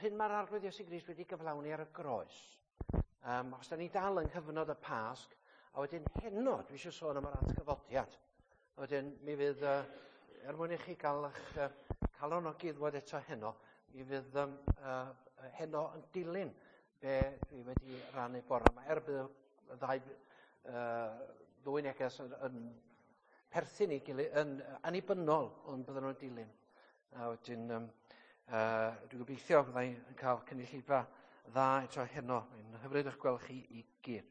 Yr hyn mae'r Arglwydd Iesu Grist wedi gyflawni ar y groes. Os da ni dal yng nghyfnod y Pasg, a wedyn heno dwi eisiau sôn am yr atgyfodiad. A wedyn mi fydd, er mwyn i chi gael eich calonogi ddwad eto heno, mi fydd heno yn dilyn be dwi wedi rannu bore yma. Er bydd y ddwy neges yn perthyn i gilydd, yn annibynnol, ond bydden nhw'n dilyn. A wedyn, dwi'n gobeithio byddai yn cael cynulleidfa dda eto heno. Mae'n hyfryd eich gweld chi i gyd.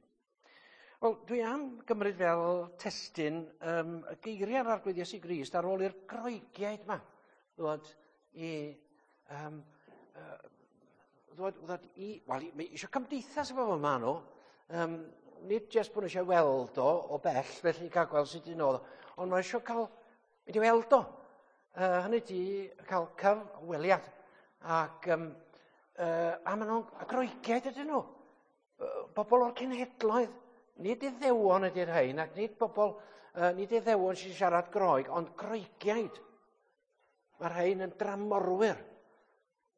Wel, dwi am gymryd fel testun y geiriau'r Arglwydd Iesu Grist ar ôl i'r Groegiaid yma ddod i, ddod i, wel, mae eisiau cymdeithas efo fo ma nhw. Nid jyst bod nhw eisiau weld o bell, felly cael gweld sut un oedd o, ond mae eisiau cael mynd i weld o. Hynny di cael cyfweliad. Ac a maen nhw'n Groegiaid ydyn nhw. Bobl o'r cenhedloedd, nid Iddewon ydy'r rhain, ac nid bobl, nid Iddewon sy'n siarad Groeg, ond Groegiaid. Mae'r rhain yn dramorwyr.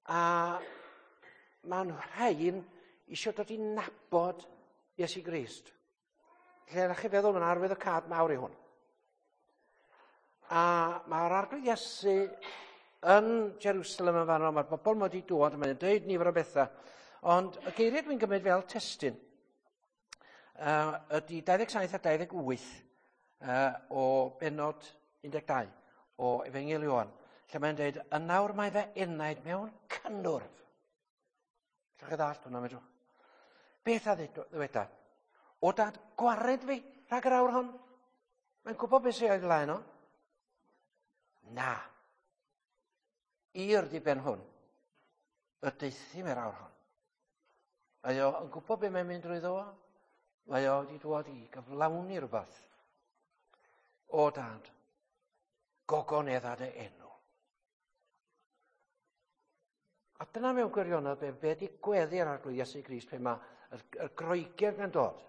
A maen rhain eisiau dod i nabod Iesu Grist. Lle ydych chi'n feddwl, mae'n arwydd o cad mawr i hwn. A mae'r Arglwydd Iesu yn Jerusalem yn fanno, mae'r bobl mod i dod, mae'n dweud nifer o bethau. Ond y geiriau dwi'n gymryd fel testun ydy 27 a 28 o benod 12 o Efengyl Ioan, lle mae'n dweud, yn nawr mae fy enaid mewn cynnwrf. Llwch chi ddallt hwnna, medrwch. Beth a ddyweda? O dad, gwared fi rhag yr awr hon. Mae'n gwybod beth sy'n o'i flaen o. Na. I'r diben hwn, y deuthum i'r awr hon. Mae o yn gwybod beth mae'n mynd drwyddo fo. Mae o wedi dod i gyflawni rhywbeth. O dad, gogonedda dy enw. A dyna mewn gwirionedd be di gweddi ar Arglwydd Iesu Grist pe mae y Groegiaid yn dod.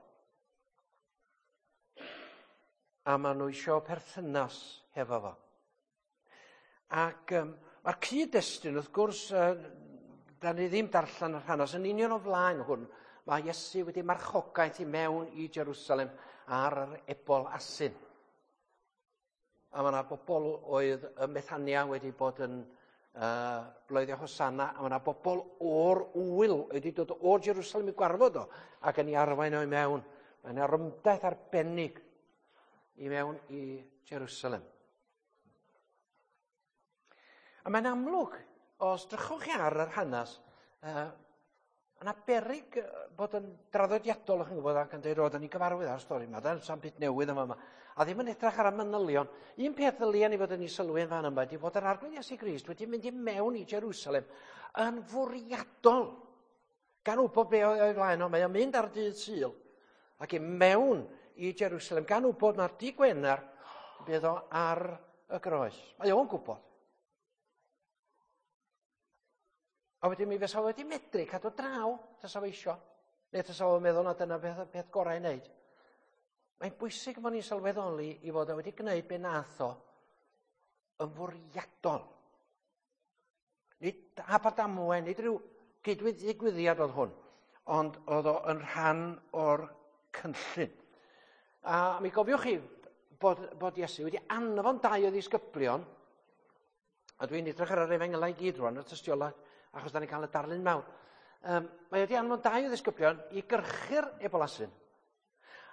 A maen nhw eisiau perthynas hefo fo. Ac mae'r cyd-destun, wrth gwrs, da ni ddim darllen yr hanes, yn union o flaen hwn, mae Iesu wedi marchogaeth i mewn i Jerusalem ar yr ebol asyn. A mae yna bobl oedd ym Methania wedi bod yn bloeddio Hosanna, a mae yna bobl o'r ŵyl wedi dod o Jerusalem i gwarfod o, ac yn ei arwain o i mewn. Mae yna rymdaith arbennig i mewn i Jerusalem. A mae'n amlwg, os drychwch chi ar yr hanes, yna beryg bod yn draddodiadol, o'ch chi'n gwybod, ac yn dweud, o, da ni'n gyfarwydd ar stori yma, da ni'n byd newydd yma, yma. A ddim yn edrych ar y manylion. Un peth ddylia ni fod yn ei sylwi yn fan yma ydy bod yr Arglwydd Iesu Grist wedi mynd i mewn i Jerusalem yn fwriadol. Gan wybod be oedd o'i flaen o, mae o'n mynd ar dydd Sul ac i mewn i Jerusalem, gan wybod mae'r dydd Gwener bydd o ar y groes. Mae o'n gwybod. A wedyn mi fysa wedi medru cadw draw, tasa fo isio. Neu tasa fo'n meddwl na dyna beth gorau i wneud. Mae'n bwysig bod ni'n sylweddoli i fod o wedi gwneud be nath o yn fwriadol. Nid hap a damwain, nid rhyw gydwyddigwyddiad oedd hwn, ond oedd o yn rhan o'r cynllun. A mi gofiwch chi bod Iesu wedi anfon dau o ddisgyblion, a dwi'n edrych ar yr efengylau i gyd rwan, y tystiolaeth, achos da ni'n cael y darlun mawr. Mae wedi anfon dau o ddisgyblion i gyrchu'r ebolasyn.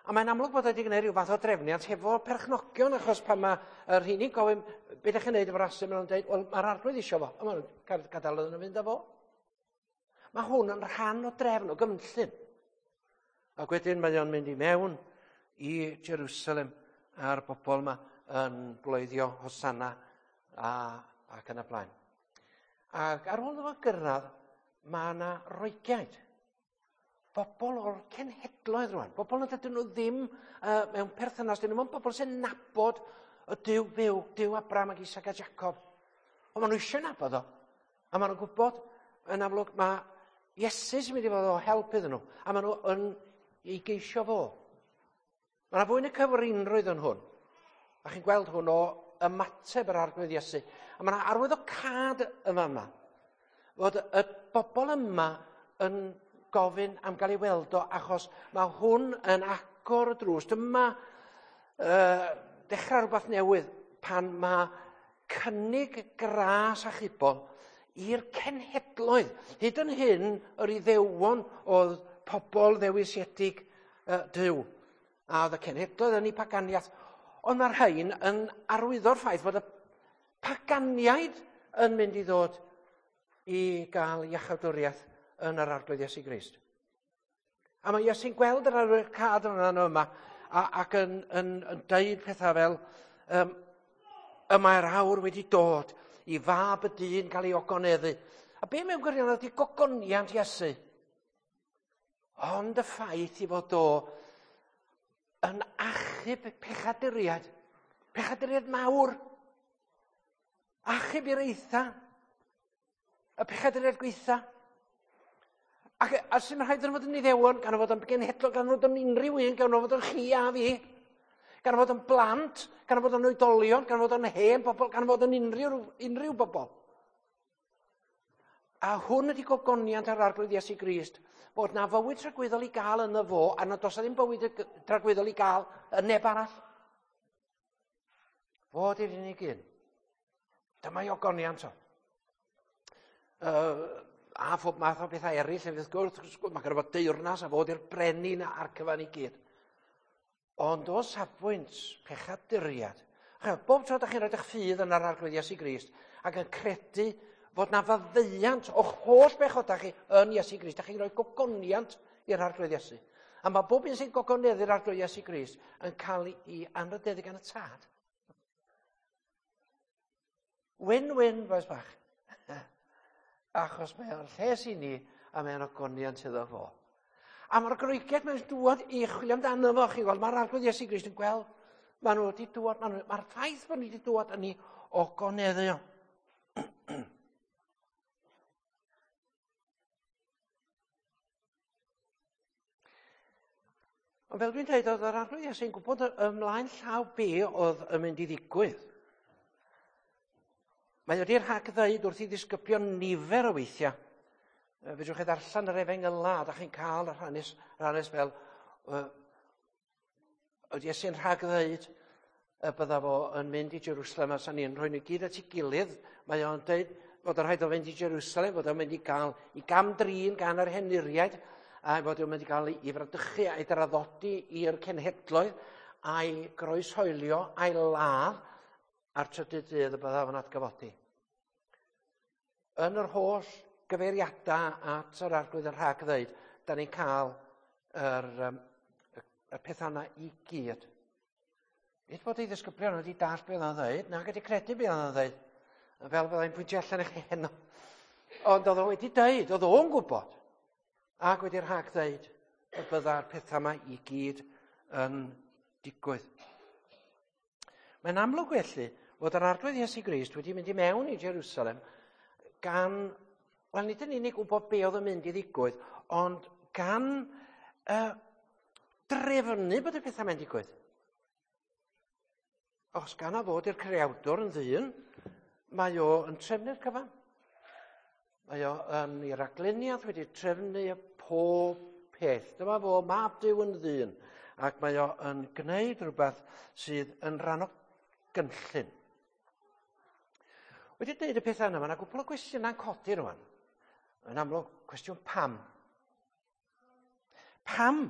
A mae'n amlwg bod wedi gwneud rhyw fath o drefniant hefo perchnogion, achos pan mae y rheini'n gofyn, be ydych chi'n gwneud efo'r asyn, maen nhw'n dweud, wel, mae'r arglwydd isio fo, a maen nhw'n gadael iddyn nhw fynd â fo. Mae hwn yn rhan o drefn, o gynllun. Ac wedyn mae o'n mynd i mewn i Jerusalem a'r bobl yma yn bloeddio Hosanna ac yn y blaen. Ac ar ôl iddo fo gyrraedd, mae yna Roegiaid. Bobl o'r cenhedloedd rwan. Bobl nad ydyn nhw ddim mewn perthynas, dyn nhw'n bobl sy'n nabod y Duw byw, Duw Abraham ac Isaac a Jacob. Ond maen nhw eisiau nabod o. A maen nhw'n gwybod, yn amlwg, mae Iesu sy'n mynd i fod o help iddyn nhw. A maen nhw yn ei geisio fo. Mae yna fwy na cyfrinrwydd yn hwn. A chi'n gweld hwn o ymateb yr Arglwydd Iesu. A mae yna arwydd o cad yn fan'na. Fod y bobl yma yn gofyn am gael ei weld o achos mae hwn yn agor y drws. Dyma dechrau rhywbeth newydd pan mae cynnig gras achubol i'r cenhedloedd. Hyd yn hyn, yr Iddewon oedd pobl ddewisiedig Duw. A oedd y cenhedloedd yn eu paganiaeth. Ond mae'r rhain yn arwyddo'r ffaith fod y paganiaid yn mynd i ddod i gael iachawdwriaeth yn yr Arglwydd Iesu Grist. A mae Iesu'n gweld yr arwyddocâd yna yma ac yn deud pethau fel y mae'r awr wedi dod i fab y dyn gael ei ogoneddu. A be mewn gwirionedd ydy gogoniant Iesu? Ond y ffaith i fod o yn achub pechaduriaid, pechaduriaid mawr, achub i'r eitha, y pechaduriaid gweitha. Ac a sy'n rhaid yn fod yn Iddewon, gan fod yn genhedlog, gan fod yn unrhyw un, gan fod yn chi a fi, gan fod yn blant, gan fod yn oedolion, gan fod yn hen bobl, gan fod yn unrhyw bobl. A hwn ydy gogoniant ar Arglwydd Iesu Grist, bod na fywyd tragwyddol i gael yno fo, a nad oes ddim bywyd tragwyddol i gael yn neb arall. Fo ydy'r unig un. Dyma ei ogoniant o. A phob math o bethau eraill, hefyd wrth gwrs, mae gynno fo deyrnas a fod i'r brenin a'r cyfan i gyd. Ond o safbwynt pechaduriad, bob tro ydych chi'n rhoi eich ffydd yn yr Arglwydd Iesu Grist ac yn credu fod na faddeuant o'ch holl bechodau chi yn Iesu Grist, ydych chi'n rhoi gogoniant i'r Arglwydd Iesu. A mae bob un sy'n gogoneddu'r Arglwydd Iesu Grist yn cael ei anrhydeddu gan y Tad. Win-win, boes bach. Achos mae o'n lles i ni a mae o'n ogoniant iddo fo. A mae'r Groegiaid mae'n dŵad i chwilio amdano fo, chi'n gweld, mae'r Arglwydd Iesu Grist yn gweld, maen nhw wedi dŵad, mae'r ffaith bod nhw wedi dŵad yn ei ogoneddu o. Ond fel dwi'n dweud, oedd yr Arglwydd Iesu'n gwybod ymlaen llaw be oedd yn mynd i ddigwydd. Mae wedi rhag ddeud wrth i ddisgyblion nifer o weithiau. Fedrwch chi ddarllen yr Efengyla, a da chi'n cael yr hanes fel oedd Iesu'n rhag ddeud y bydda fo yn mynd i Jerusalem, a sa'n ni'n rhoi nhw gyd at ei gilydd. Mae o'n dweud fod yn rhaid o fynd i Jerusalem, fod o'n mynd i gael ei gam-drin gan yr henuriaid, a fod o'n mynd i gael ei fradychu a'i draddodi i'r cenhedloedd, a'i groeshoelio, a'i ladd, a'r trydydd dydd y bydda fo'n atgyfodi. Yn yr holl gyfeiriadau at yr Arglwydd yn rhag ddeud, da ni'n cael y pethau yna i gyd. Nid bod ei ddisgyblion wedi dallt beth oedd o'n ddeud, nag wedi credu beth oedd o'n ddeud, fel byddai'n pwyntio allan i chi heno. Ond oedd o wedi deud, oedd o'n gwybod, ac wedi rhag ddeud y bydda'r pethau yma i gyd yn digwydd. Mae'n amlwg felly fod yr Arglwydd Iesu Grist wedi mynd i mewn i Jerusalem gan, wel nid yn unig gwybod be oedd yn mynd i ddigwydd, ond gan drefnu bod y pethau mae'n digwydd. Os gan a fod i'r creawdwr yn ddyn, mae o yn trefnu'r cyfan. Mae o yn ei ragluniaeth wedi trefnu pob peth. Dyma fo, mab Duw yn ddyn, ac mae o yn gwneud rhywbeth sydd yn rhan o gynllun. Wedi dweud y pethau yna, mae yna gwpl o gwestiynau'n codi rwan. Yn amlwg, cwestiwn pam. Pam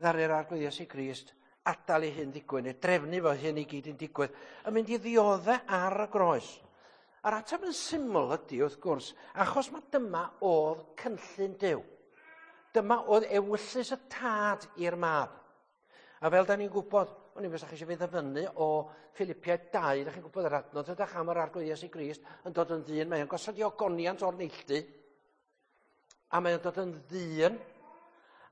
ddaru'r Arglwydd Iesu Grist adael ei hun ddigwydd, neu drefnu fo hyn i gyd yn digwydd, yn mynd i ddioddau ar y groes? A'r ateb yn syml ydy, wrth gwrs, achos mae dyma oedd cynllun Duw. Dyma oedd ewyllys y tad i'r mab. A fel da ni'n gwybod, o'n i'n chi eisiau fi ddyfynnu o Philippiaid 2, da chi'n gwybod yr adnod ydych am yr Arglwydd Iesu Grist yn dod yn ddyn, mae o'n gosod i ogoniant o'r neilltu, a mae o'n dod yn ddyn,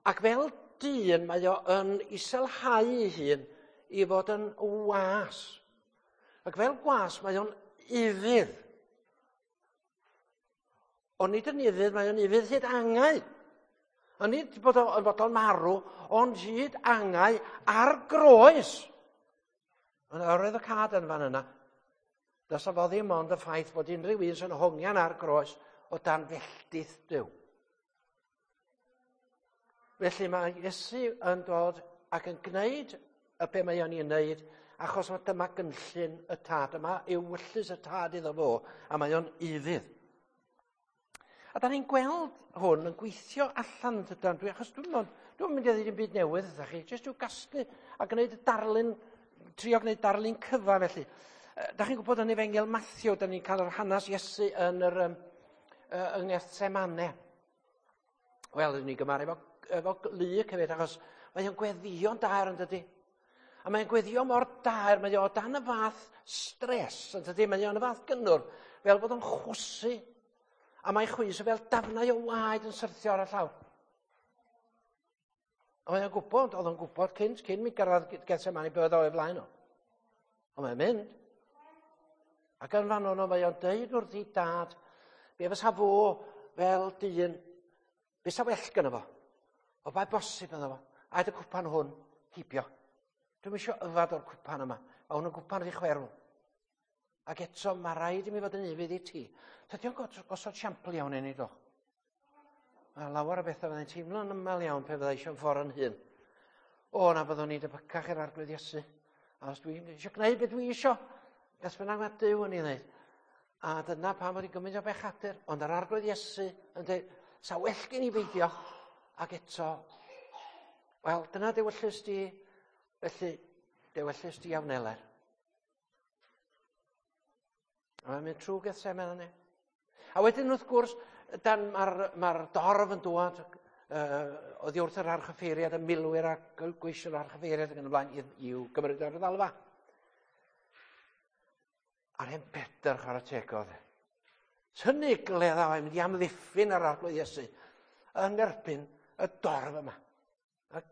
ac fel dyn mae o yn iselhau ei hun i fod yn was. Ac fel gwas mae o'n ufudd. Ond nid yn ufudd, mae o'n ufudd hyd angau. Ond nid bod o'n bod o'n marw, ond hyd angau ar groes. Ond oedd y cad yn fan yna. Does fo ddim ond y ffaith bod unrhyw un sy'n hongian ar groes o dan felltith Duw. Felly mae Iesu yn dod ac yn gwneud y be mae o'n ei wneud, achos mae dyma gynllun y tad, yma ewyllys y tad iddo fo, a mae o'n ufudd. A da ni'n gweld hwn yn gweithio allan yn dydan, dwi, achos dwi'n dwi dwi'n mynd i ddweud yn byd newydd ydych chi, jyst i'w gasglu a gwneud y darlun, trio gwneud darlun cyfa felly. Da chi'n gwybod yn Efengyl Matthew, da ni'n cael yr hanes Iesu yn yr, um, yng Ngethsemane. Wel, ydyn ni'n gymaru efo, efo Luc hefyd, achos mae o'n gweddio'n daer yn dydy. A mae'n gweddio mor daer, mae o dan y fath stres, yn dydy, mae o'n y fath gynnwr, fel bod o'n chwysu. A mae chwys fel dafnau o waed yn syrthio ar y llawr. A mae o'n gwybod, oedd o'n gwybod cynt, cyn mi gyrraedd Gethsemane be oedd o'i flaen o. Ond mae'n mynd. Ac yn fan ono mae o'n deud wrth ei dad, be fysa fo fel dyn, be sa well gyda fo? O bai bosib ynddo fo, aed y cwpan hwn heibio. Dwi'm eisiau yfad o'r cwpan yma. Mae hwn yn gwpan rhy chwerw. Ac eto, mae rhaid i mi fod yn ufudd i ti. Tydi o'n gosod siampl iawn i ni, do? Mae lawer o bethau fyddai'n teimlo'n ymel iawn pe fyddai eisiau'n ffordd yn hun. O, na byddwn ni'n debycach i'r arglwydd Iesu. A os dwi'n eisiau gwneud beth dwi eisiau, beth bynnag mae Duw yn ei wneud. A dyna pam bod i'n gymaint o bechadur. Ond yr arglwydd Iesu yn dweud, sa well gen i beidio. Ac eto, wel, dyna dewyllys di, felly, dewyllys di a wneler. A mae'n mynd trwy Gethsemane. A wedyn wrth gwrs, dan mae'r ma dorf yn dŵad oddi wrth yr archyffeiriad, y milwyr a gweision yr archyffeiriad ac yn y blaen i'w gymryd ar y ddalfa. A'r hen Pedr chwarae teg oedd. E. Tynnu gledda mae'n mynd i amddiffyn yr arglwydd Iesu yn erbyn y dorf yma. A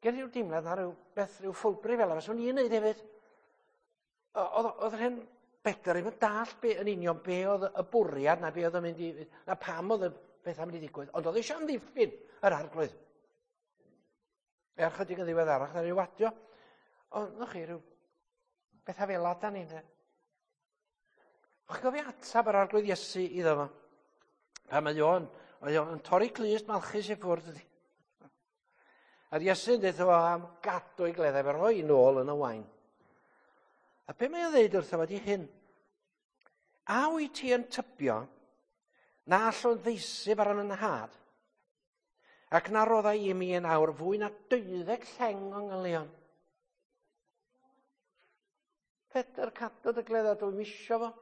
gen i ryw deimlad na rhyw beth, rhyw ffwlbri fel yna, swn i'n neud hefyd. Oedd yr hen Bedr ddim yn dall be, yn union be oedd y bwriad na be oedd yn mynd i, na pam oedd y beth am mynd i ddigwydd, ond oedd eisiau amddiffyn yr arglwydd. Er chydig yn ddiweddarach, na rhyw wadio. Ond, noch chi, rhyw bethau fel da ni, de. O'ch chi'n gofio atab yr arglwydd Iesu iddo fo? Pan mae o'n, mae o'n torri clust Malchus i ffwrdd ydi. A'r Iesu'n dweud fo am gadw ei gleddau, fe roi nôl yn y wain. A be mae o'n dweud wrtho fo di hyn? A wyt ti yn tybio na allwn ddeisyf ar yn nhad, ac na roddai i mi yn awr fwy na deuddeg lleng o ngylion? Pedr, cadw dy gledda, dwi'n misio fo.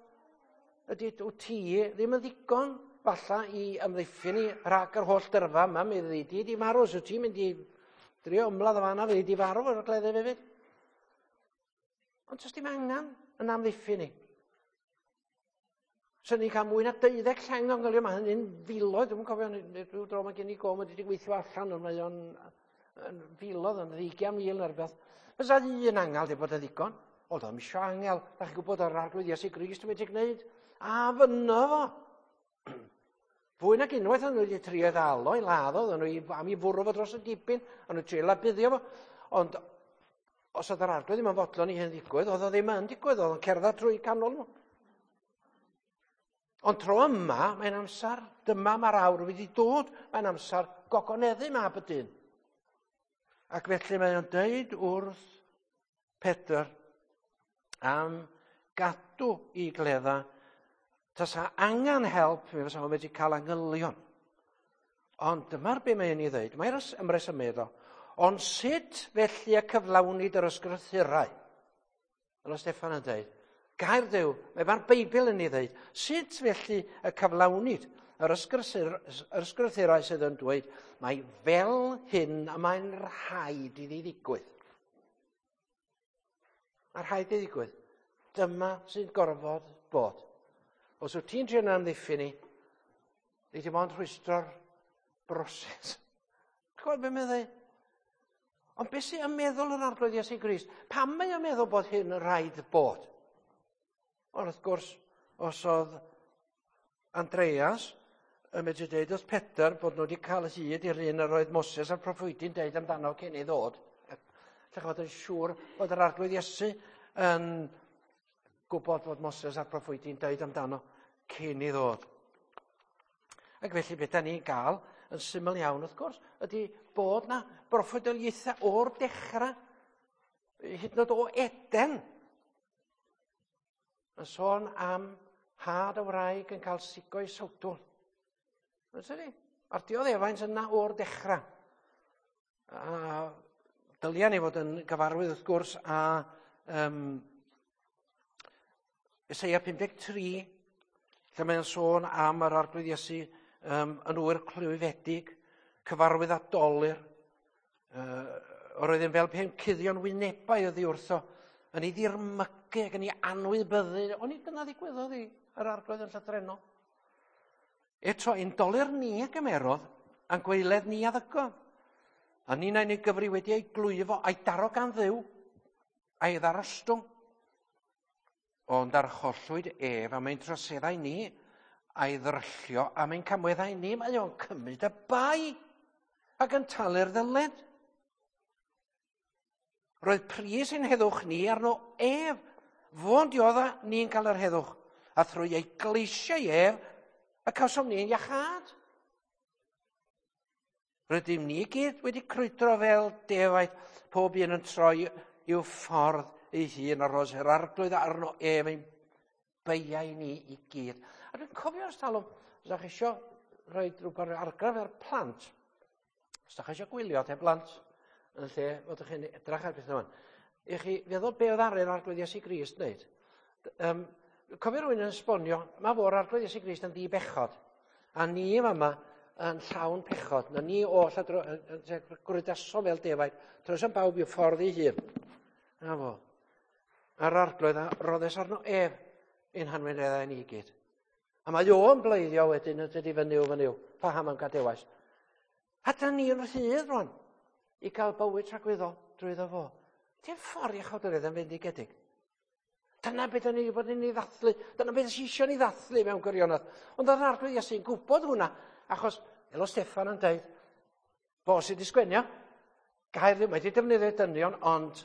Ydy, wyt ti ddim yn ddigon falla i ymddiffyn i rhag yr holl dyrfa yma, mi fyddi di di marw, so ti'n mynd i drio ymladd o fanna, fyddi di farw o'r gleddyf hefyd. Ond does dim angen yn amddiffyn i. Swn ni'n cael mwy na 12 lleng o'n gylio, mae hynny'n filoedd, dwi'n cofio, rhyw dro mae gen i gom wedi gweithio allan, ond mae o'n yn filoedd, yn ddeugian mil neu rhywbeth. Fysa un angel di bod yn ddigon. O, doedd ddim eisiau angel. Da chi'n gwybod o'r arglwydd Iesu Grist wedi gwneud. A fyno fo. Fwy nag unwaith o'n nhw wedi trio ddal o i ladd o, oedden nhw am i fwrw fo dros y dibyn, o'n nhw trio labuddio fo. Ond os oedd yr arglwydd ddim yn fodlon i hyn ddigwydd, oedd o ddim yn digwydd, oedd o'n cerdded trwy canol nhw. Ond tro yma, mae'n amser, dyma mae'r awr wedi dod, mae'n amser gogoneddu mab y dyn. Ac felly mae o'n deud wrth Pedr am gadw i gledda, tasa angen help, mi fysa fo wedi cael angylion. Ond dyma'r be mae'n ei ddeud, mae'r ymresymu iddo. Ond sut felly y cyflawnid yr ysgrythurau? Fel o Steffan yn dweud, gair Duw, mae mae'r Beibl yn ei dweud, sut felly y cyflawnid yr ysgrythurau sydd yn dweud, mae fel hyn a mae'n rhaid iddi ddigwydd. Mae rhaid iddi ddigwydd. Dyma sy'n gorfod bod. Os wyt ti'n trio amddiffyn ni, ni dim ond rhwystro'r broses. Chwbod beth mae'n dweud? Ond beth sy'n yn meddwl yr arglwydd Iesu Grist? Pam mae o'n meddwl bod hyn yn rhaid bod? Ond wrth gwrs, os oedd Andreas yn medru dweud wrth Pedr bod nhw wedi cael hyd i'r un yr oedd Moses a'r proffwydi'n deud amdano cyn ei ddod. Lle fod yn siŵr bod yr arglwydd Iesu yn gwybod bod Moses a'r proffwydi'n deud amdano cyn ei ddod. Ac felly beth da ni'n gael yn syml iawn wrth gwrs ydy bod na broffwydoliaethau o'r dechrau, hyd yn oed o Eden, yn sôn am had y wraig yn cael sigo i sawdl. Yn tydi? A'r dioddefaint yna o'r dechrau. A dylia ni fod yn gyfarwydd wrth gwrs â Eseia 53, lle mae'n sôn am yr Arglwydd Iesu yn ŵyr clwyfedig, cyfarwydd â dolur, yr oedd yn fel pe'n cuddio'n wynebau oddi wrtho, yn ei ddirmygu ac yn ei anwybyddu. Ond nid dyna ddigwyddodd i yr Arglwydd yn llythrennol. Eto, ein dolur ni a gymerodd, a'n gwaeledd ni a ddygodd. A ninnau'n ei gyfri wedi ei glwyfo a'i daro gan Dduw, a'i ddarostwng. Ond archollwyd ef am ein troseddau ni, a'i ddryllio am ein camweddau ni. Mae o'n cymryd y bai ac yn talu'r ddyled. Roedd pris ein heddwch ni arno ef. Fo'n diodda ni'n cael yr heddwch. A thrwy ei gleisiau ef, y cawsom ni'n iachâd. Rydym ni gyd wedi crwydro fel defaid, pob un yn troi i'w ffordd ei hun ar ôl yr Arglwydd arno ef ein beiau ni i gyd. A dwi'n cofio ers talwm, os ydych chi eisiau rhoi rhywbeth argraff ar plant, os ydych chi eisiau gwylio te blant, yn lle fod chi'n edrych ar bethau yma, i chi feddwl be oedd ar yr Arglwydd Iesu Grist wneud. Cofio rhywun yn esbonio, mae fo'r Arglwydd Iesu Grist yn ddi-bechod, a ni yma yn llawn pechod, na ni oll a gwrydaso fel defaid, troesom bawb i'w ffordd ei hun. Na fo. A'r Arglwydd a roddes arno ef ein hanwynebau ni gyd. A mae o'n bleiddio wedyn yn dydi fy Nuw, fy Nuw, paham am gadewais. A da ni'n rhydd rwan i gael bywyd tragwyddol drwyddo fo. Dim ffordd iachawdwriaeth yn fendigedig. Dyna beth o'n i wedi bod yn ei ddathlu. Dyna beth sy'n eisiau ni ddathlu mewn gwirionedd. Ond oedd yr Arglwydd Iesu'n gwybod hwnna, achos Elo Steffan yn dweud, fo sydd wedi sgwenio, gair ddim wedi defnyddio dynion, ond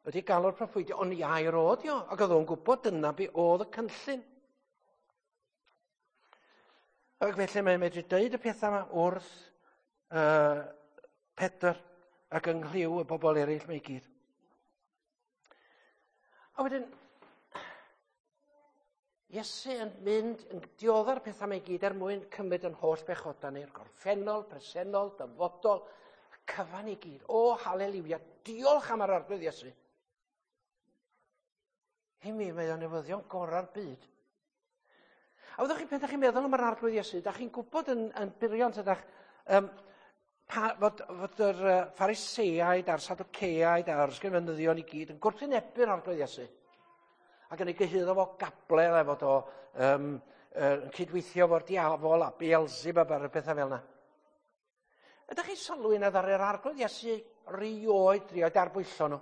wedi galw'r proffwydio, ond i air o dio, ac oedd o'n gwybod dyna be oedd y cynllun. Ac felly mae'n medru dweud y pethau yma wrth Pedr ac yng nghlyw y bobl eraill mae i gyd. A wedyn, Iesu yn mynd yn diodda'r pethau mae i gyd er mwyn cymryd yn holl bechodau ni'r gorffennol, presennol, dyfodol, y cyfan i gyd. O, haleliwia, diolch am yr Arglwydd Iesu. I mi, mae o'n newyddion gorau'r byd. A fyddwch chi, pan ydych chi'n meddwl am yr Arglwydd Iesu, da chi'n gwybod yn burion, ydych, fod yr Phariseaid a'r Sadwceaid a'r ysgrifenyddion i gyd yn gwrthwynebu'r Arglwydd Iesu. Ac yn ei gyhuddo fo gabledd a fod o yn cydweithio fo'r diafol a Beelzebub a pethau fel yna. Ydych chi'n sylwi na ddaru'r Arglwydd Iesu rioed drio darbwyllo nhw?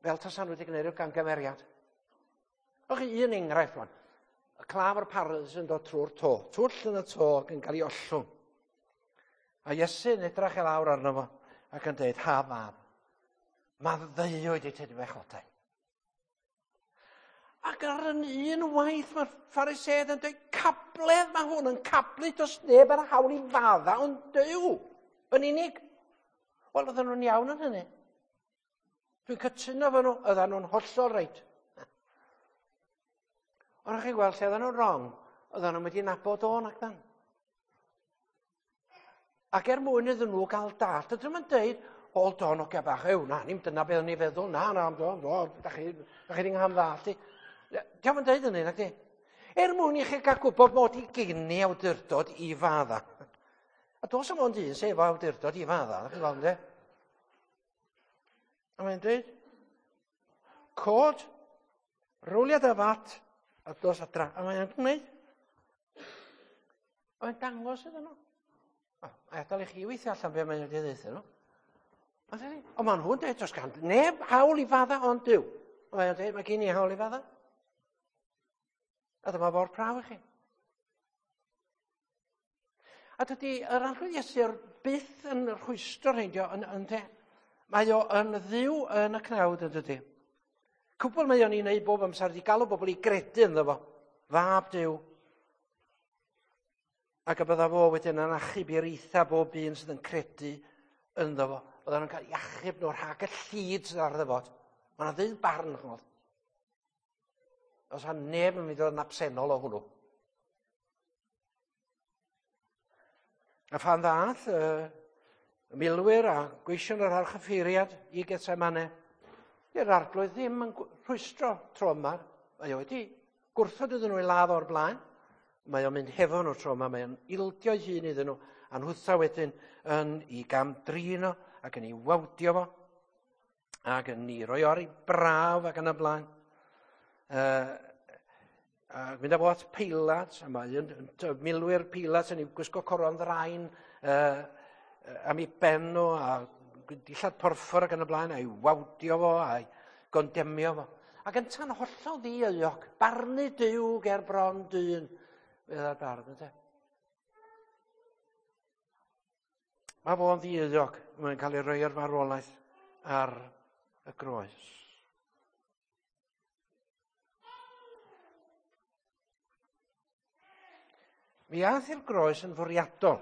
Fel tasan nhw wedi gwneud rhyw gamgymeriad. O'ch chi un enghraifft rwan. Y claf o'r paralysis yn dod trwy'r to. Twll yn y to ac yn cael ei ollwng. A Iesu yn edrych i lawr arno fo ac yn dweud, ha fab, maddeuwyd i ti dy bechodau. Ac ar yn un waith mae'r Phariseaid yn dweud, cabledd mae hwn yn cablu, does neb ar hawl i fadda ond Duw yn unig. Wel, oedden nhw'n iawn yn hynny. Dwi'n cytuno efo nhw, oedden nhw'n hollol reit. Ond chi'n gweld lle oedden nhw'n wrong, oedden nhw'n mynd i nabod o'n ac dan. Ac er mwyn iddyn nhw gael dallt, ydyn nhw'n dweud, hold on, oce bach, ew, na, nim dyna beth o'n i feddwl, na, na, do, do, da chi di ngham ddallt i. Diolch yn dweud hynny, nag di? Er mwyn i chi gael gwybod mod i gen i awdurdod i fadda. A dos am ond un sef awdurdod i fadda, da chi'n gweld, ynddi? A mae'n dweud, cod, rowlia dy fat, a dos adra. A mae'n gwneud. A mae'n dangos iddyn nhw. A adael i chi weithio allan be mae'n wedi ddeutha nhw. Ond maen nhw'n dweud, does gan neb hawl i fadda ond Duw. A mae'n dweud, mae gen i hawl i fadda. A dyma fo'r prawf i chi. A dydy yr Arglwydd Iesu byth yn rhwystro rhein, yn de. Mae o yn ddiw yn y cnawd yn dydy. Cwbl mae o'n ei wneud bob amser ydi galw bobl i gredu ynddo fo. Fab Duw. Ac y bydda fo wedyn yn achub i'r eitha bob un sydd yn credu ynddo fo. Bydda nhw'n cael achub nhw rhag y llid sydd ar ddyfod. Mae yna ddydd barn, chymod. Os a neb yn mynd i fod yn absennol o hwnnw. A phan ddath y milwyr a gweision yr archyffeiriad i Getsemane, di'r arglwydd ddim yn rhwystro tro yma. Mae o wedi gwrthod iddyn nhw ei ladd o'r blaen. Mae o'n mynd hefo nhw tro yma, mae o'n ildio ei hun iddyn nhw, a nhwtha wedyn yn i gam drin o ac yn ei wawdio fo, ac yn ei roi o'r ei brawf ac yn y blaen. A mynd â fo at Peilat, a mae un, milwyr Peilat yn ei gwisgo coron ddraen am ei ben nhw, a dillad porffor ac yn y blaen, a'i wawdio fo, a'i gondemio fo. Ac yn tan hollol ddi-euog, barnu Duw ger bron dyn, fedda'r bardd, ynte? Mae fo'n ddi-euog, mae'n cael ei roi ar farwolaeth ar y groes. Mi ath i'r groes yn fwriadol.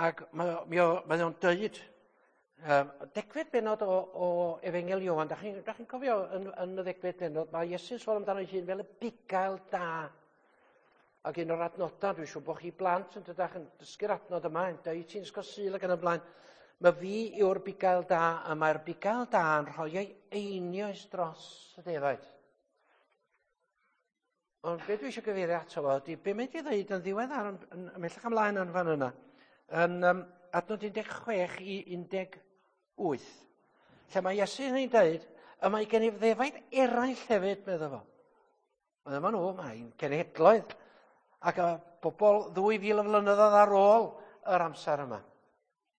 Ac mae, mi o, mae o'n dweud, degfed benod o Efengyl Ioan, da chi'n chi cofio yn y ddegfed benod, mae Iesu'n sôn amdano ei hun fel y bugail da. Ac un o'r adnodau, dwi'n siŵr bod chi blant yn dydach yn dysgu'r adnod yma, yn dweud ti'n ysgol Sul ac yn y blaen, mae fi yw'r bugail da, a mae'r bugail da yn rhoi ei einioes dros y defaid. Ond be dwi eisiau gyfeirio ato fo ydy, be mae wedi dweud yn ddiweddar, ymhellach ymlaen yn fan yna, yn adnod 16 i 18, lle mae Iesu yn ei dweud, y mae gen i ddefaid eraill hefyd, medda fo. Ond yma nhw, mae'n cenhedloedd, ac y bobl 2000 o flynyddoedd ar ôl yr amser yma.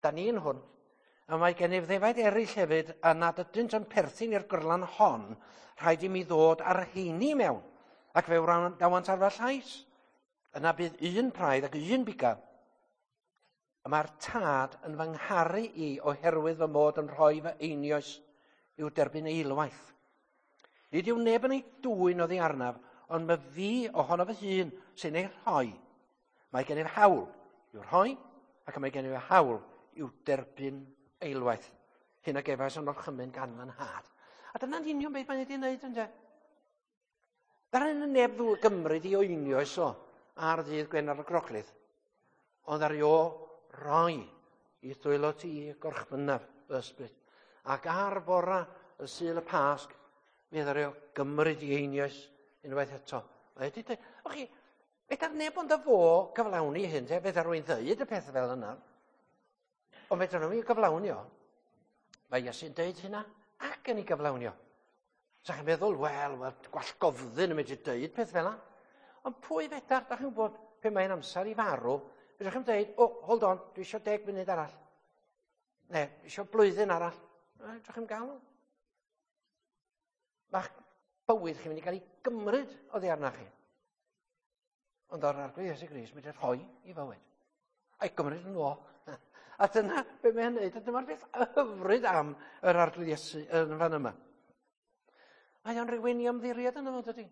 Da ni'n hwn. A mae gennyf ddefaid eraill hefyd, a nad ydynt yn perthyn i'r gyrlan hon, rhaid i mi ddod ar rheini mewn, ac fe wrandawant ar fy llais. Yna bydd un praidd ac un bugail. Y mae'r tad yn fy ngharu i oherwydd fy mod yn rhoi fy einioes i'w derbyn eilwaith. Nid yw neb yn ei dwyn oddi arnaf, ond mae fi ohono fy hun sy'n ei rhoi. Mae gennyf hawl i'w rhoi, ac mae gennyf hawl i'w derbyn eilwaith. Hyn a gefais yn orchymyn gan fy nhad. A dyna'n union beth mae'n wedi wneud, ynde? Ddaru neb ddwy gymryd i oenioes o ar ddydd Gwener y Groglith, ond ar o roi i ddwylo ti gorchmynnaf fy ysbryd. Ac ar fora y Sul y Pasg, mi ddaru o gymryd i einioes unwaith eto. Mae wedi dweud, o chi, fedar neb ond y fo gyflawni hyn, te, fedar rwy'n dweud y peth fel yna. Ond fedar nhw'n ei gyflawni o. Mae Iesu'n dweud hynna ac yn ei gyflawni o. Sa chi'n meddwl, wel, gwallgofddyn yn medru dweud peth fel yna. Ond pwy fedar, da chi'n gwybod, pe mae'n amser i farw, fedrwch chi'n dweud, oh, hold on, dwi eisiau 10 munud arall. Ne, dwi eisiau blwyddyn arall. Fedrwch chi'n gael o. Mae'ch bywyd chi'n mynd i gael ei gymryd oddi arna chi. Ond o'r Arglwydd Iesu Grist mynd i rhoi i fywyd. A'i gymryd yn ôl. A dyna be mae'n neud, a dyma'r beth hyfryd am yr Arglwydd Iesu yn fan yma. Mae o'n rhywun i ymddiried yno fo, dydy?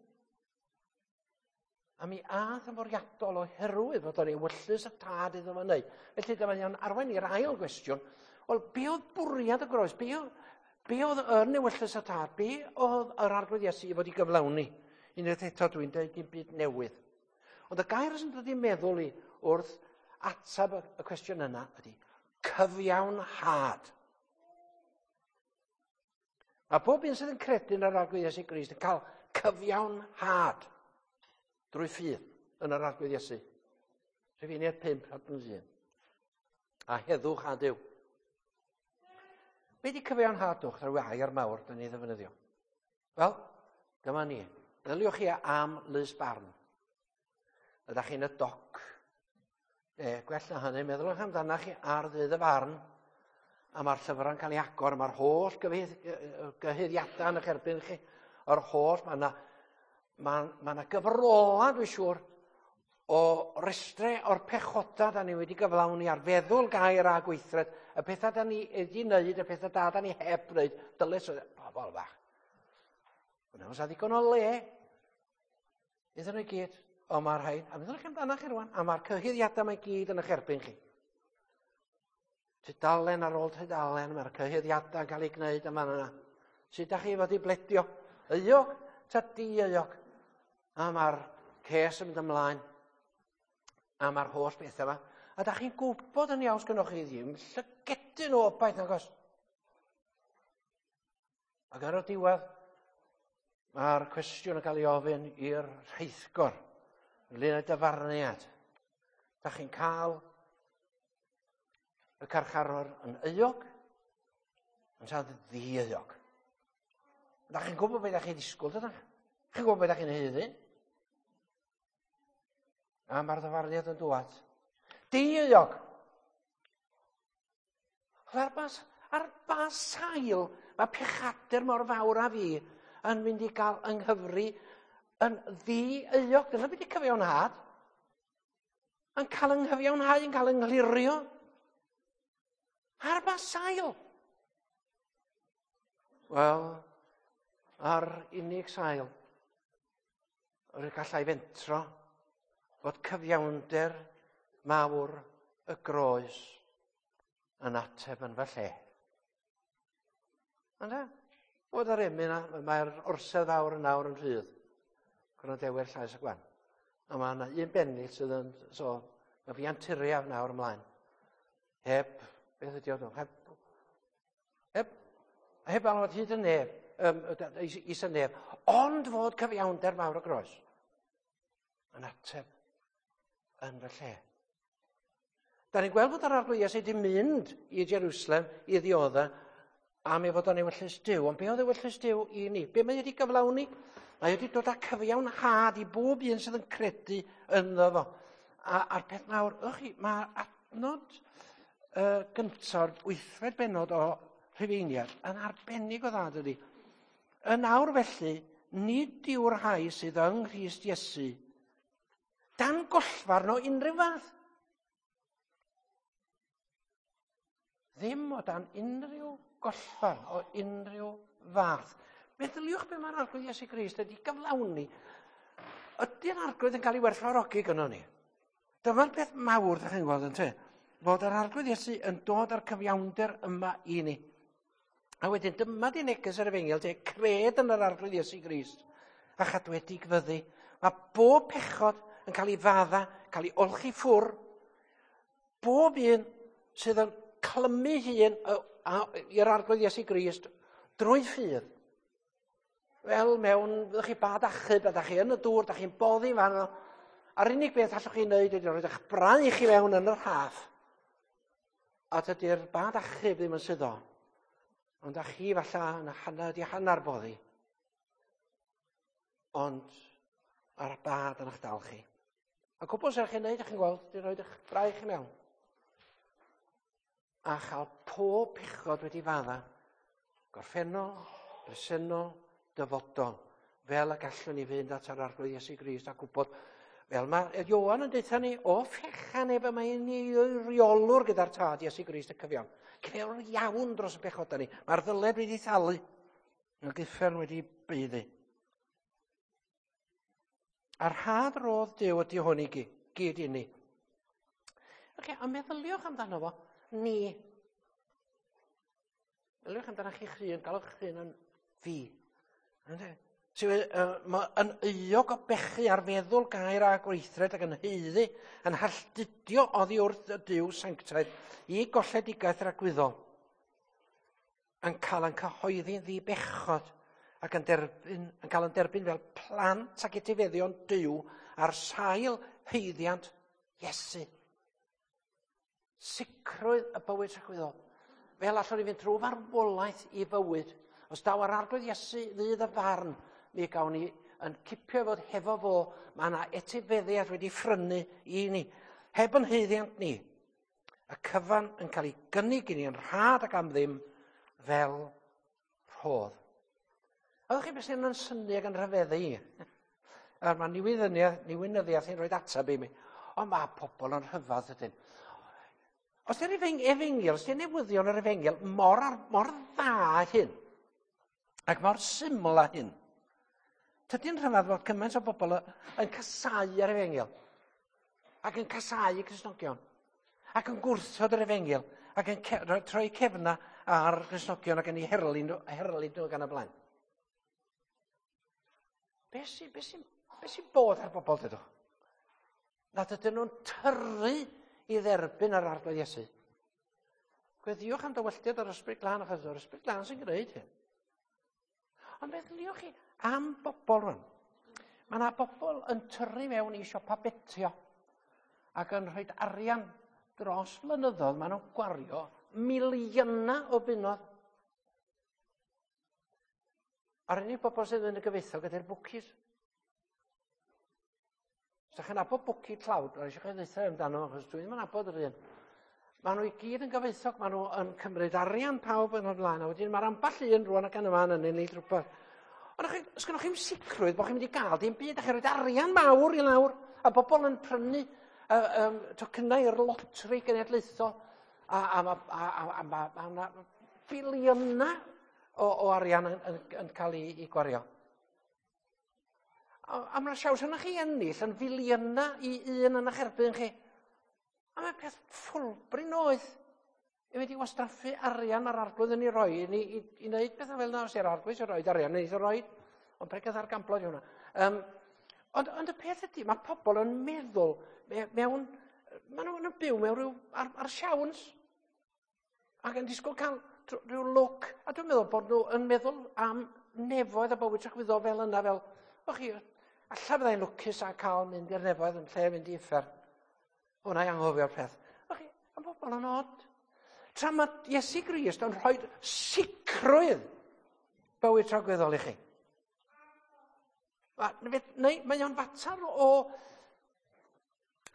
A mi ath yn fwriadol oherwydd fod o'n ewyllys y tad iddo fo wneud. Felly dyma o'n arwain i'r ail gwestiwn. Wel, be oedd bwriad y groes? Be oedd yn ewyllys y tad? Be oedd yr Arglwydd Iesu i fod i gyflawni? Unwaith eto dwi'n dweud dim byd newydd. Ond y gair sy'n dod i'n meddwl i wrth ateb y cwestiwn yna ydy cyfiawnhad. Mae pob un sydd yn credu yn yr Arglwydd Iesu Grist yn cael cyfiawnhad drwy ffydd yn yr Arglwydd Iesu. Rhufeiniaid 5, adnod 1. A heddwch a Duw. Be di cyfiawnhadwch? Rhyw air mawr da ni ddefnyddio. Wel, dyma ni. Meddyliwch chi am lys barn. Ydych chi'n y doc. Gwell na hynny, meddylwch amdanach chi ar ddydd y farn, a mae'r llyfrau'n cael ei agor, mae'r holl gyhuddiadau yn eich erbyn chi, yr holl, mae yna gyfrola, dwi'n siŵr, o restrau o'r pechodau da ni wedi gyflawni ar feddwl, gair a gweithred, y pethau da ni wedi wneud, y pethau da da ni heb wneud, dylai sydd, pobl fach. Yna oes ddigon o le iddyn nhw i gyd. Ond mae'r rhain, a meddwl chi amdano chi rwan, a mae'r cyhuddiadau mae gyd yn eich erbyn chi. Tudalen ar ôl tudalen, mae'r cyhuddiadau yn cael eu gwneud yma yna. Sut da chi fod i bledio? Euog ta di-euog? A mae'r ces yn mynd ymlaen. A mae'r holl bethau yma. A da chi'n gwybod yn iawn sgynnoch chi ddim llygedyn o obaith nag oes? Ac ar y diwedd, mae'r cwestiwn yn cael ei ofyn i'r rheithgor ynglyn â dyfarniad. Da chi'n cael y carcharor yn euog, yn siarad ddi-euog. Da chi'n gwybod beth da chi'n ddisgwyl, dydych? Chi'n gwybod beth da chi'n haeddu? A mae'r ddyfarniad yn dŵad. Di-euog! Ar ba, ar ba sail mae pechadur mor fawr â fi yn mynd i gael yng nghyfri yn ddi-euog? Dyna beth i cyfiawnhad. Yn cael yng nghyfiawnhau, yn cael yng nghlirio. Ar ba sail? Wel, ar unig sail, yr y gallai fentro fod cyfiawnder mawr y groes yn ateb yn fy lle. Yna, bod yr emyn yna, mae'r orsedd fawr yn awr yn rhydd. Gwrandewyr llais y gwan. A mae yna un bennill sydd yn, so, mae fi anturiaf nawr ymlaen. Heb, beth ydi o, heb, heb, heb alwad hyd y neb, um, is y neb, ond fod cyfiawnder mawr y groes yn ateb yn fy lle. Da ni'n gweld fod yr Arglwydd Iesu wedi mynd i Jerusalem i ddiodda am ei fod o'n ewyllys Duw. Ond be oedd ewyllys Duw i ni? Be mae wedi gyflawni? Mae wedi dod â cyfiawnhad i bob un sydd yn credu ynddo fo. A, a'r peth mawr, ych chi, mae adnod uh, gyntaf, wythfed benod o Rhufeiniad, yn arbennig o dda, dydy. Yn awr felly, nid yw'r rhai sydd yng Nghrist Iesu dan gollfarn o unrhyw fath. Ddim o dan unrhyw gollfarn o unrhyw fath. Meddyliwch be mae'r Arglwydd Iesu Grist wedi gyflawni. Ydy'r Arglwydd yn cael ei werthfawrogi gynnon ni? Dyma'r peth mawr, ydych chi'n gweld yn te, fod yr Arglwydd Iesu yn dod â'r cyfiawnder yma i ni. A wedyn dyma di neges yr efengyl, te, cred yn yr Arglwydd Iesu Grist a chadwedig fyddi. Mae bob pechod yn cael ei fadda, cael ei olchi ffwr. Bob un sydd yn clymu hun i'r Arglwydd Iesu Grist drwy ffydd. Fel mewn, fyddwch chi bad achub, a da chi yn y dŵr, da chi'n boddi fan yno. A'r unig beth allwch chi wneud ydy rhoi eich braich i mewn yn yr haf. A dydy'r bad achub ddim yn suddo. Ond da chi falle yn hanner di hanner boddi. Ond ar y bad yn eich dal chi. A cwbl sy'n chi'n neud, chi'n gweld, di rhoi eich braich i mewn. A chael pob pechod wedi fadda. Gorffennol, presennol, dyfodol. Fel y gallwn ni fynd at yr Arglwydd Iesu Grist a gwybod, fel mae Ioan yn deutha ni, o fechan ef y mae'n ei reolwr gyda'r tad Iesu Grist y cyfiawn. Cyfiawn iawn dros y pechodau ni. Mae'r ddyled wedi thalu. Mae'r uffern wedi baeddu. A'r rhad rodd Duw ydy hwn i gyd i ni. Okay, a meddyliwch amdano fo, ni. Meddyliwch amdano chi'ch hun, galwch chi'ch hun yn fi. Sydd uh, yn euog o bechu ar feddwl gair a gweithred ac yn haeddu, yn halltudio oddi wrth y Duw sanctaidd i golledigaeth ragwyddol. Yn cael yn cyhoeddi'n ddi-bechod ac yn, derbyn, yn cael yn derbyn fel plant ac etifeddion Duw ar sail haeddiant Iesu. Sicrwydd y bywyd tragwyddol. Fel allwn ni fynd trwy farwolaeth i fywyd. Os daw ar Arglwydd Iesu ddydd y farn, mi gawn ni yn cipio fod hefo fo, mae yna etifeddiad wedi ffrynu i ni. Heb yn haeddiant ni. Y cyfan yn cael ei gynnig i ni yn rhad ac am ddim fel rhodd. A ddech chi beth sy'n yn synnu ac yn rhyfeddu i? A mae niwyddyniaeth, niwynyddiaeth yn rhoi ateb i mi. Ond mae pobl yn rhyfedd ydyn. Os di'r efengyl, os di'r newyddion yr efengyl mor, mor dda hyn, ac mor syml â hyn, Tydi'n rhyfedd fod cymaint o bobl yn casau ar efengyl, ac yn casau y Cristnogion, ac yn gwrthod yr efengyl, ac yn troi cefna ar Gristnogion ac yn ei herlyn, herlyn nhw gan y blaen. Be sy'n be sy, be sy bod ar bobl, dydw? Nad ydyn nhw'n tyrru i dderbyn yr Arglwydd Iesu. Gweddiwch am dywylltiad yr Ysbryd Glân, achos yr Ysbryd Glân sy'n gwneud hyn. Ond meddyliwch chi am bobl rwan. Mae yna bobl yn tyrru mewn i siopa betio ac yn rhoi arian dros flynyddoedd. Maen nhw'n gwario miliynau o bunnoedd. A'r unig bobl sydd yn y gyfoethog ydy'r bwcis. Os ydych chi'n nabod bwci tlawd, rhaid eisiau chi ddeutha amdano, achos dwi ddim yn nabod yr un. Maen nhw i gyd yn gyfoethog, maen nhw yn cymryd arian pawb yn o'r blaen, a wedyn mae'r ambell un rwan ac yn y man yn ennill rhywbeth. Ond chi, os gynnwch chi'n sicrwydd bod chi'n mynd i gael dim byd, a chi'n rhoi arian mawr i lawr, a bobl yn prynu tocynnau i'r lotri genedlaethol, a, a, a, a, a, a, a, a, a, biliynau o, o arian yn, yn, yn cael ei, ei gwario. A, a mae'n siaws yna chi ennill yn filiynau i un yn eich erbyn chi. A mae'n peth ffwlbrin oedd i fynd i wastraffu arian ar arglwydd yn ei roi i, i, i wneud pethau fel yna. Os yw'r arglwydd sy'n rhoi arian, wneud o roi. Ond pregeth ar gamblo yw hwnna. Um, ond, ond y peth ydy, mae pobl yn meddwl mewn... Maen nhw'n byw mewn rhyw ar, ar siawns. Ac yn disgwyl cael rhyw lwc. A dwi'n meddwl bod nhw yn meddwl am nefoedd a bywyd tragwyddol fel yna, fel, o chi, alla fyddai'n lwcus a cael mynd i'r nefoedd yn lle mynd i uffern. Hwna i anghofio'r peth. O chi, am bobl yn od. Tra mae Iesu Grist yn rhoi sicrwydd bywyd tragwyddol i chi. Neu, mae o'n fater o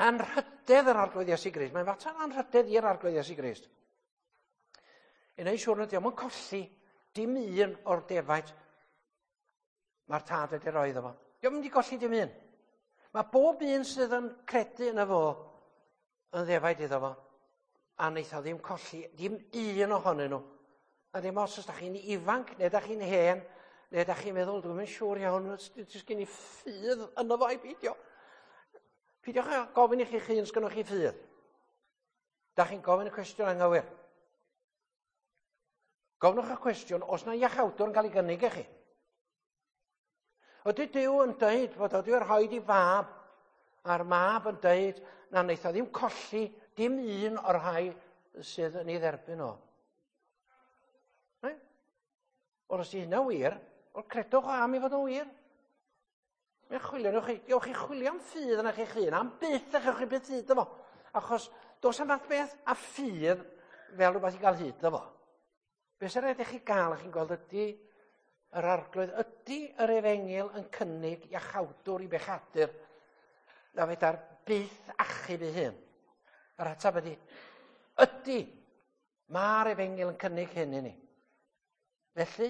anrhydedd yr Arglwydd Iesu Grist. Mae'n fater anrhydedd i'r Arglwydd Iesu Grist. I wneud siŵr nad yw'n colli dim un o'r defaid mae'r tad wedi rhoi iddo fo. Dio'm mynd i golli dim un. Mae bob un sydd yn credu yn y fo yn ddefaid iddo fo. A wneith o ddim colli dim un ohonyn nhw. A ddim os ydych chi'n ifanc, neu ydych chi'n hen, neu ydych chi'n meddwl, dwi'n mynd siŵr iawn, jyst gen i ffydd yno fo i beidio. Peidiwch â gofyn i chi'ch hun, sgynnoch chi ffydd. Da chi'n gofyn y cwestiwn anghywir. Gofnwch y cwestiwn, os na iachawdwr yn cael ei gynnig i chi. Ydy Duw yn dweud fod o wedi rhoi i fab, a'r mab yn dweud na wnaeth o ddim colli dim un o'r rhai sydd yn ei dderbyn o. Ne? Wel, os di hynna wir, wel, credwch o am i fod yn wir. Mae'n chwilio, newch chi, gewch chi chwilio am ffydd yna chi'ch hun, am byth a chewch chi byth hyd efo. Achos dos am fath beth a ffydd fel rhywbeth i gael hyd efo. Be sy'n rhaid i chi gael, a chi'n gweld ydy yr arglwydd, ydy yr efengyl yn cynnig iachawdwr i bechadur na fedar byth achub ei hun? Yr ateb ydy, ydy, mae'r efengyl yn cynnig hyn i ni. Felly,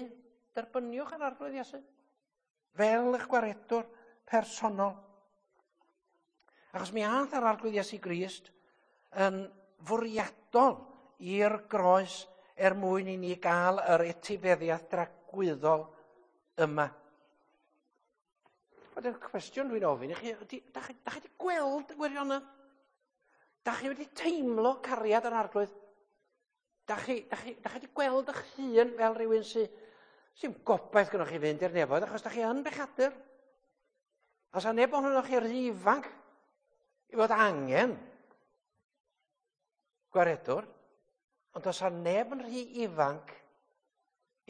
derbyniwch yr arglwydd Iesu fel eich gwaredwr personol. Achos mi ath yr arglwydd Iesu Grist yn fwriadol i'r groes er mwyn i ni gael yr etifeddiaeth dragwyddol yma. Wedyn, cwestiwn dwi'n ofyn i chi, ydy, da chi, da chi wedi gweld y gwirionedd? Da chi wedi teimlo cariad yr arglwydd? Da chi, da chi, da chi wedi gweld eich hun fel rhywun sy'n sy'n gobaith gynnwch chi fynd i'r nefoedd, achos da chi yn bechadur. A sa neb ohonoch chi rhy ifanc i fod angen gwaredwr, ond os a neb yn rhy ifanc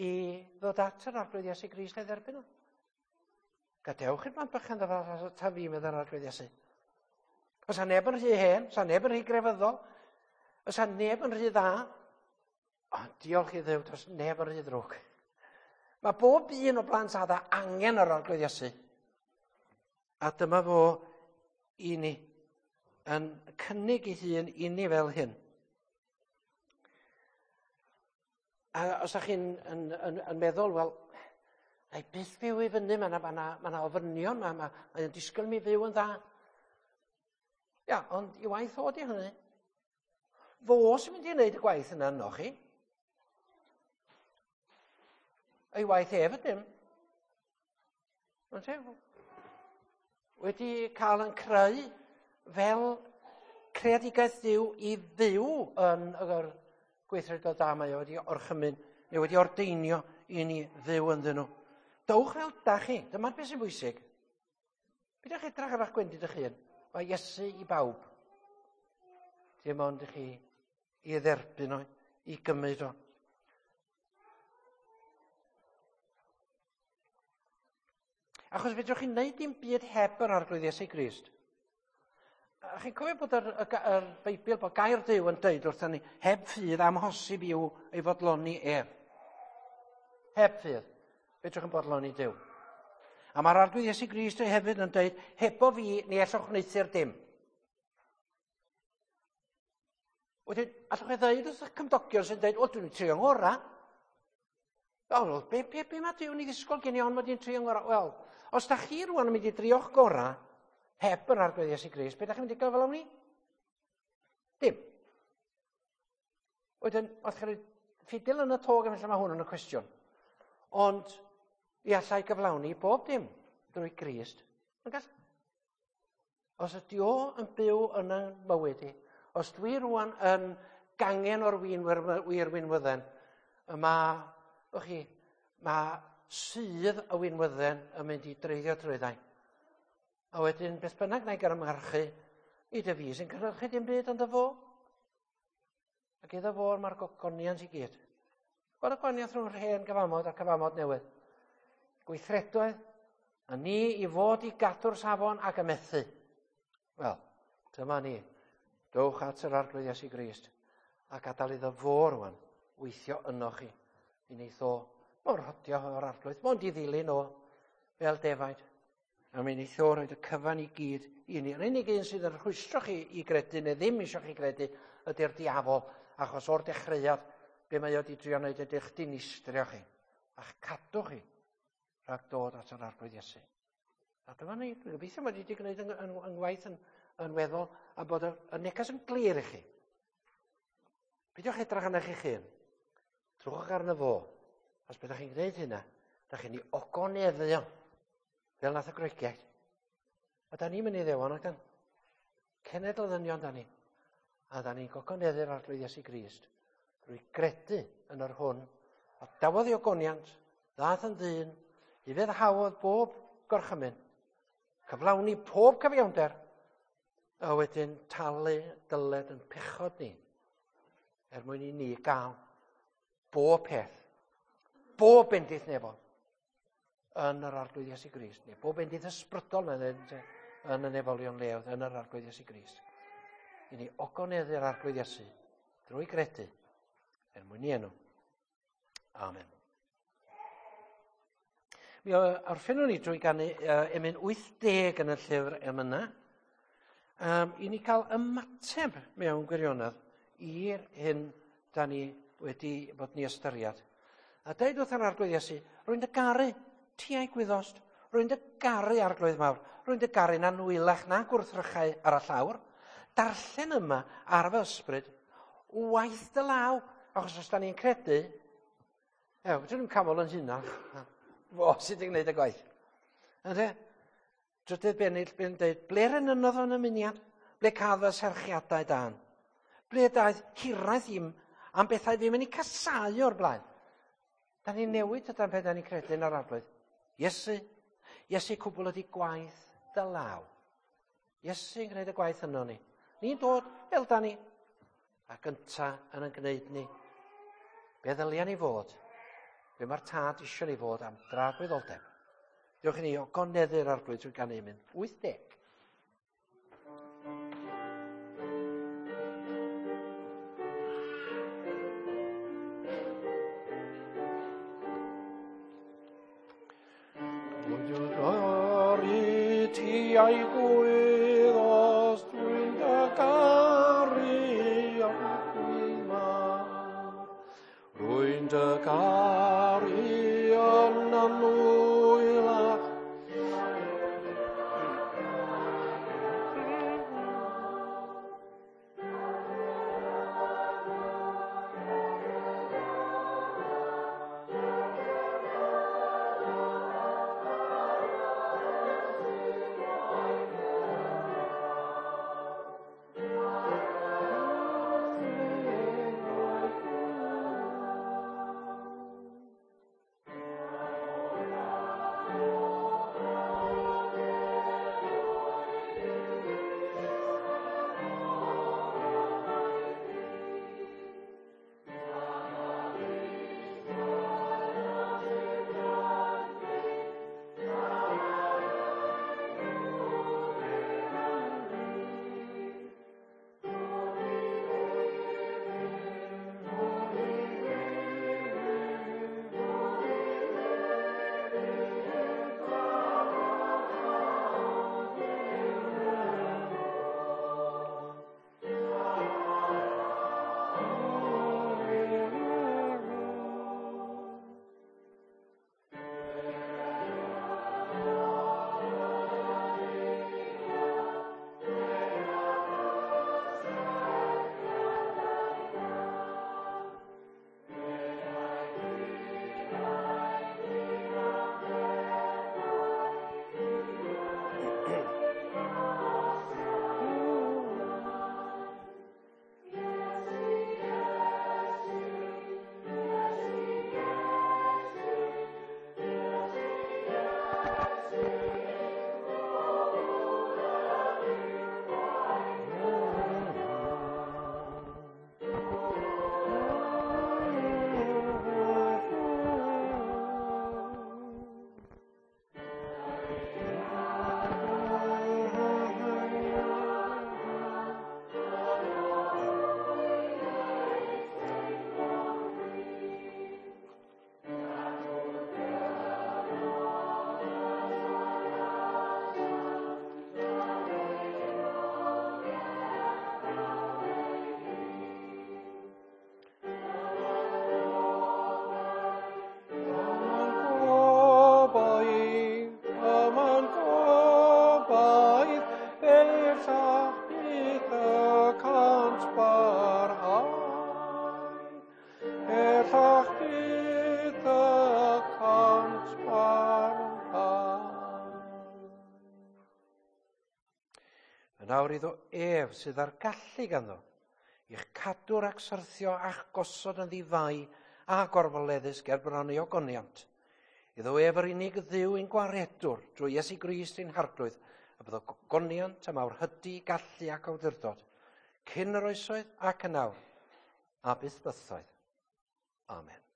i ddod at yr Arglwydd Iesu Grist a'i dderbyn o. Gadewch i'r blant bychan ddod at fi, meddai'r Arglwydd Iesu. Os a neb yn rhy hen, os a neb yn rhy grefyddol, os a neb yn rhy dda, ond diolch i Dduw, does neb yn rhy ddrwg. Mae bob un o blant Adda angen yr Arglwydd Iesu. A dyma fo i ni, yn cynnig ei hun i ni fel hyn. A os ydych chi'n yn, yn, yn meddwl, wel, na i byth fyw i fyny, mae yna ma ma ma ofynion, mae ma, mae o'n disgwyl mi fyw yn dda. Ia, ond i waith o di hynny. Fo sy'n mynd i wneud y gwaith yna yno chi. Ei waith ef ydym. Ynte? Wedi cael yn creu fel creadigaeth Dduw i fyw yn yr gweithredoedd da mae o wedi orchymyn neu wedi ordeinio i ni fyw ynddyn nhw. Dowch fel da chi. Dyma'r beth sy'n bwysig. Peidiwch edrach ar eich gwendid eich hun. Mae Iesu i bawb. Dim ond i chi i dderbyn o, i gymryd o. Achos fedrwch chi wneud dim byd heb yr Arglwydd Iesu Grist. A chi'n cofio bod yr, y, yr Beibl, bod gair Duw yn dweud wrthyn ni, heb ffydd amhosib i'w ei fodloni ef. Heb ffydd, fedrwch yn bodloni Duw. A mae'r Arglwydd Iesu Grist hefyd yn dweud, hebo fi, ni allwch wneuthur dim. Wedyn, allwch chi ddeud wrth eich cymdogion sy'n dweud, o, dwi'n trio ngorau. Wel, be, be, be mae Duw'n ei ddisgwyl gen i ond mod i'n trio ngorau? Wel, os da chi rwan yn mynd i drio'ch gorau, heb yr Arglwydd Iesu Grist, be da chi'n mynd i gael fel ni? Dim. Wedyn, os chi'n rhoi ffidil yn y tog am lle mae hwn yn y cwestiwn. Ond, i allai gyflawni bob dim drwy Grist, yn gall. Os ydy o yn byw yn y mywyd i, os dwi rwan yn gangen o'r win, wir winwydden, y mae, o'ch chi, mae sydd y winwydden yn mynd i dreiddio drwyddau. A wedyn, beth bynnag na i gyrmarchu, i dy fi sy'n cynhyrchu dim byd ond y fo. Ac iddo fo mae'r gogoniant i gyd. Gweld y gwahaniaeth rhwng yr hen gyfamod a'r cyfamod newydd. Gweithredoedd, a ni i fod i gadw'r safon ac ymethu. Wel, dyma ni. Dowch at yr Arglwydd Iesu Grist a gadael iddo fo rwan weithio yno chi. I wneith o mor rhodio o'r Arglwydd, mond i ddilyn o fel defaid. A mi wneith o roed y cyfan i gyd i ni. Yr unig un sydd yn rhwystro chi i gredu neu ddim eisiau chi gredu ydy'r diafol, achos o'r dechreuad, be mae o wedi drio wneud ydy'ch dinistrio chi, a'ch cadw chi rhag dod at yr Arglwydd Iesu. A dyma ni, dwi'n gobeithio mod i wedi gwneud yng, yng, yng ngwaith yn, yn weddol a bod y, y neges yn glir i chi. Peidiwch edrych arnoch chi'ch hun. Trwch arno fo. Os byddwch chi'n gwneud hynna, da chi'n ei ogoneddu o. Fel nath y Groegiaid. A da ni'n mynd i ddewan, ac dan. Cenedl ddynion da ni. A da ni'n gogoneddu'r Arglwydd Iesu Grist drwy gredu yn yr hwn. A dawodd i ogoniant, ddaeth yn ddyn, i feddhaodd bob gorchymyn, cyflawni pob cyfiawnder, a wedyn talu dyled yn pechod ni, er mwyn i ni gael bob peth, bob bendith nefol, yn yr Arglwydd Iesu Grist, neu bob bendith ysbrydol mae'n dweud, yn y nefolion leoedd, yn yr Arglwydd Iesu Grist. I ni ogoneddu'r Arglwydd Iesu drwy gredu er mwyn i enw. Amen. Mi orffennwn ni drwy ganu emyn 80 yn y llyfr emynau. I ni cael ymateb mewn gwirionedd i'r hyn da ni wedi bod ni ystyried. A deud wrth yr Arglwydd Iesu, rwy'n dy garu, ti a'i gwyddost, rwy'n dy garu Arglwydd mawr, rwy'n dy garu na nwylach na gwrthrychau ar y llawr. Darllen yma ar fy ysbryd, waith dy law, achos os da ni'n credu, ew, fedrwn ni'n camol yn hunan, fo sydd wedi gwneud y gwaith. Ynde? Drydydd bennill, bydd yn dweud, ble'r enynnodd o'n ymuniad? Ble cadd fy serchiadau dan? Ble daeth hiraeth im am bethau ddim yn ei casau o'r blaen? Da ni'n newid yda'n peth da ni'n credu yn yr Arglwydd. Iesu, Iesu cwbl ydi gwaith dy law. Iesu yn gwneud y gwaith yno ni. Ni'n dod fel da ni, a gynta yn yn gwneud ni. Be ddylia ni fod? Be mae'r tad eisiau ni fod am dragwyddoldeb? Diolch i ni ogoneddu'r Arglwydd trwy ganu mynd 80. Ti a'i gwyddost, dwi'n dy garu Arglwydd mawr. Rwy'n dy garu yn anwylach. Yn awr iddo ef sydd ar gallu ganddo, i'ch cadw rhag syrthio a'ch gosod yn ddifai a gorfoleddus ger bron ei ogoniant. Iddo ef yr unig Dduw ein gwaredwr drwy Iesu Grist ein Harglwydd, a byddo gogoniant a mawrhydi, gallu ac awdurdod, cyn yr oesoedd ac yn awr, a byth bythoedd. Amen.